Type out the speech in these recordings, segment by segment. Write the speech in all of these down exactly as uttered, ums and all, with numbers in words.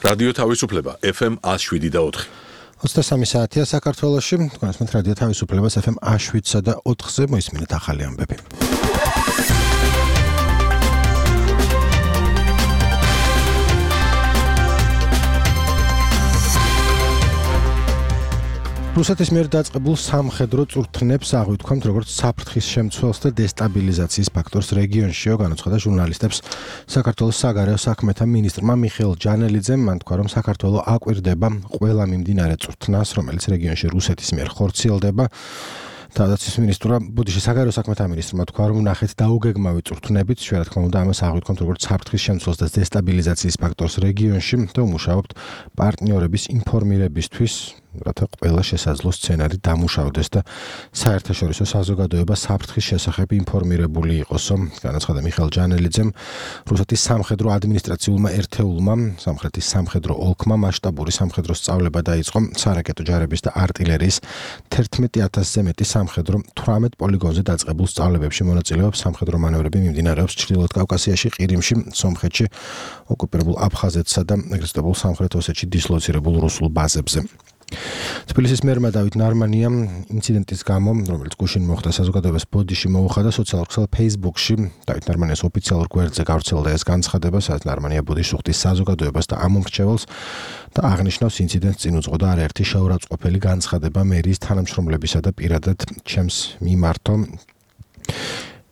რადიო თავისუფლება ეფ ემ ას შვიდი და ოთხი. ოცდასამი საათია საქართველოში, თქვენს მეთ რადიო თავისუფლებას ეფ ემ ას შვიდსა და ოთხზე მოისმინეთ ახალი ამბები. რუსეთის მიერ დაწყებულ სამხედრო წვრთნებს აღვიქვამთ როგორც საფრთხის შემცველს და დესტაბილიზაციის ფაქტორს რეგიონშიო, განაცხადა ჟურნალისტებს საქართველოს საგარეო საქმეთა მინისტრმა მიხეილ ჯანელიძემ. მან თქვა, რომ საქართველო აკვირდება ყველა მიმდინარე წვრთნას, რომელიც რეგიონში რუსეთის მიერ ხორციელდება. თავდაცვის მინისტრმა ბუდიში საგარეო საქმეთა მინისტრმა თქვა, რომ ნახეთ დაუგეგმავი წვრთნებით, რა თქმა უნდა, ამას აღვიქვამთ როგორც საფრთხის შემცველს და დესტაბილიზაციის ფაქტორს რეგიონში და უმუშაობთ პარტნიორების ინფორმირებისთვის, რათა ყველა შესაძლო სცენარი დამუშავდეს და საერთაშორისო საზოგადოება საფრთხის შესახებ ინფორმირებული იყოსო. განაცხადა მიხეილ ჯანელიძემ, რუსეთის სამხედრო ადმინისტრაციულმა ერთეულმა, სამხრეთის სამხედრო ოლქმა მასშტაბური სამხედრო სწავლება დაიწყო სარაკეტო ჯარების და артиლერიის თერთმეტი ათასზე მეტი სამხედრო თვრამეტ პოლიგონზე დაწყებულ სწავლებებში მონაწილეობს. სამხედრო მანევრები მიმდინარეობს ჩრდილოეთ კავკასიაში, ყირიმში, სომხეთში, ოკუპირებულ აფხაზეთსა და ეგრესტებულ სამხრეთ ოსეთში დისლოცირებულ რუსულ ბაზებზე. თბილისის მერმა დავით ნარმანიამ ინციდენტის გამო, რომელიც გუშინ მოხდა საზოგადოებას ბოდიში მოუხადა სოციალურ ქსელ Facebook-ში, დავით ნარმანიას ოფიციალურ გვერდზე გავრცელდა ეს განცხადება, სადაც ნარმანია ბოდიშს უხდის საზოგადოებას და ამომრჩეველს და აღნიშნავს ინციდენტს წინ უძღოდა არაერთი შეურაცხყოფელი განცხადება მერიის თანამშრომლებისა და პირადად ჩემს მიმართო.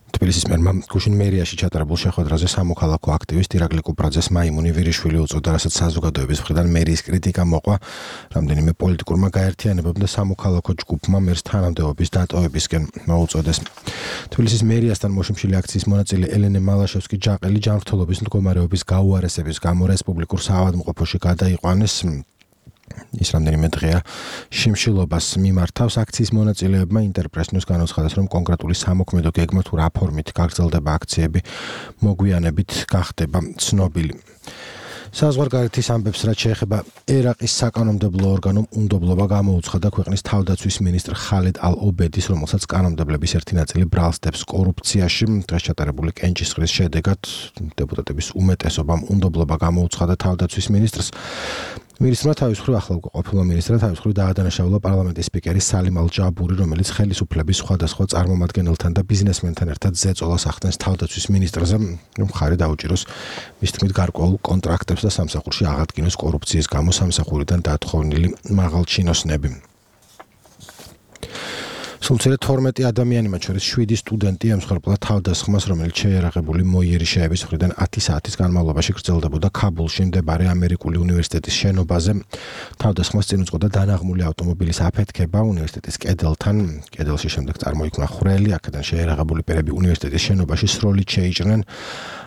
თბილისის მერმა გუშინ მერიაში ჩატარებულ შეხვედრაზე სამოქალაქო აქტივისტ ირაკლი კუპრაძეს მაიმუნი ვირიშვილი უწოდა, რასაც საზოგადოების მხრიდან მერიის კრიტიკა მოყვა. რამდენიმე პოლიტიკურმა გაერთიანებამ და სამოქალაქო ჯგუფმა მერს თანამდებობის დატოვებისკენ მოუწოდეს. თბილისის მერიასთან მოშიმშილი აქციის მონაწილე ელენე მალაშევსკი-ჯაყელი ჯანმრთელობის მდგომარეობის გაუარესების გამო რესპუბლიკურ საავადმყოფოში გადაიყვანეს. ის რამდენიმე დღეა შიმშილობას მიმართავს. აქციის მონაწილეებმა ინტერპრეს-ნიუს განაცხადეს, რომ კონკრეტული სამოქმედო გეგმა თუ რა ფორმით გაგრძელდება აქციები, მოგვიანებით გახდება ცნობილი. საზღვარგარეთის ამბებს, რაც შეეხება ერაყის საკანონმდებლო ორგანომ უნდობლობა გამოუცხადა ქვეყნის თავდაცვის მინისტრ ხალედ ალ-ობედის, რომელსაც კანონმდებლების ერთი ნაწილი ბრალსდებს კორუფციაში. დღეს ჩატარებული კენჭისყრის შედეგად დეპუტატების უმეტესობამ უნდობლობა გამოუცხადა თავდაცვის მინისტრს. მინისტრმა თავის მხრივ ახლა ყოფილმა მინისტრმა თავის მხრივ დაადანაშაულა პარლამენტის სპიკერი სალიმ ალ-ჯაბური, რომელიც ხელისუფლების სხვადასხვა წარმომადგენელთან და ბიზნესმენთან ერთად ზეწოლას ახდენს თავდაცვის მინისტრზე, რომ ხარი დაუჭიროს მის თქმით გარკვეულ კონტრაქტებს და სამსახურში აღადგინოს კორუფციის გამო სამსახურიდან დათხოვნილი მაღალჩინოსნები. სულცერე თორმეტი ადამიანი, მათ შორის შვიდი სტუდენტი ემსხვერპლა თავდასხმას, რომელიც შეიარაღებული მოიერიშეების მხრიდან ათი საათის განმავლობაში გრძელდებოდა ქაბულში მდებარე ამერიკული უნივერსიტეტის შენობაზე. თავდასხმას წინ უძღოდა დანაღმული ავტომობილის აფეთქება უნივერსიტეტის კედელთან. კედელში შემდეგ წარმოიქმნა ხვრელი, აქედან შეიარაღებული პირები უნივერსიტეტის შენობაში სროლით შეიჭრნენ.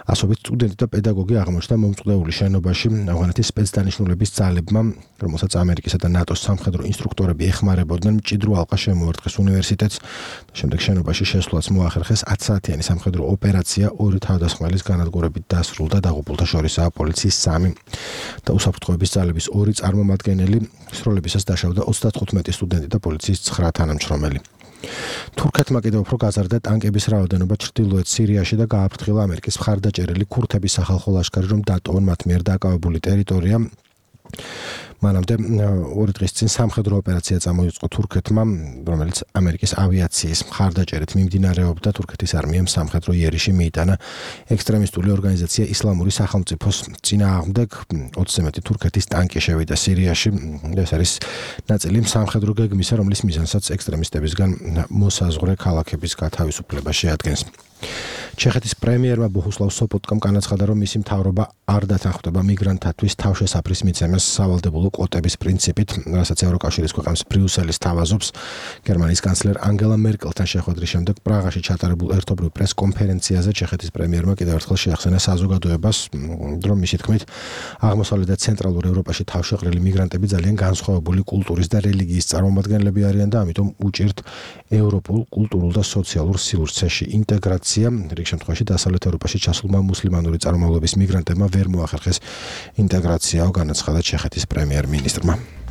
ასობით სტუდენტი და პედაგოგი აღმოჩნდა მომწყვდეული შენობაში. ავღანეთის სპეცდანიშნულების ძალებმა, რომელსაც ამერიკისა და ნატოს სამხედრო ინსტრუქტორები ეხმარებოდნენ, მჭიდრო ალყა შემოარტყეს უნივერსიტეტს. შემდეგ შენობაში შესვლაც მოახერხეს ათსაათიანი სამხედრო ოპერაცია, ორი თავდასხმელის განადგურებით დასრულდა, დაღუპულთა შორისაა პოლიციის სამი და უსაფრთხოების ძალების ორი წარმომადგენელი. სროლებისას დაშავდა ოცდათხუთმეტი სტუდენტი და პოლიციის ცხრა თანამშრომელი. თურქეთმა კიდევ უფრო გაზარდა ტანკების რაოდენობა ჩრდილოეთ სირიაში და გააფრთხილა ამერიკის მხარდაჭერილი ქურთების სახალხო ლაშქარი, რომ დატოვონ მათ მიერ დაკავებული ტერიტორია. მანამდე ორი დღის წინ სამხედრო ოპერაცია წამოიწყო თურქეთმა, რომელიც ამერიკის ავიაციის მხარდაჭერით მიმდინარეობდა. თურქეთის არმიამ სამხედრო იერიში მიიტანა ექსტრემისტული ორგანიზაცია ისლამური სახელმწიფოს წინააღმდეგ. ოცზე მეტი თურქეთის ტანკი შევიდა სირიაში. ეს არის ნაწილი სამხედრო გეგმისა, რომლის მიზანსაც ექსტრემისტებისგან მოსაზღვრე ქალაქების გათავისუფლება შეადგენს. ჩეხეთის პრემიერმა ბოჰუსლავ სოპოტკამ განაცხადა, რომ მისი მთავრობა არ დათანხმდება მიგრანტთათვის თავშესაფრის მიცემას სავალდებულო კვოტების პრინციპით, რასაც ევროკავშირის ქვეყნებს ბრიუსელის თავაზობს. გერმანიის კანცლერ ანგელა მერკელთან შეხვედრის შემდეგ პრაღაში ჩატარებულ ერთობრივ პრეს-კონფერენციაზე ჩეხეთის პრემიერმა კიდევ ერთხელ შეახსენა საზოგადოებას, რომ მისი თქმით, აღმოსავლეთ და ცენტრალურ ევროპაში თავშეყრილი მიგრანტები ძალიან განსხვავებული კულტურის და რელიგიის წარმომადგენლები არიან და ამიტომ უჭირთ ევროპულ კულტურულ და სოციალურ სივრცეში ინტეგრაცია. რიგ შემთხვევაში დასავლეთ ევროპაში ჩასულმა მუსლიმანური წარმომავლობის მიგრანტებმა ვერ მოახერხეს ინტეგრაციაო, განაცხადა ჩეხეთის პრემიერ-მინისტრმა.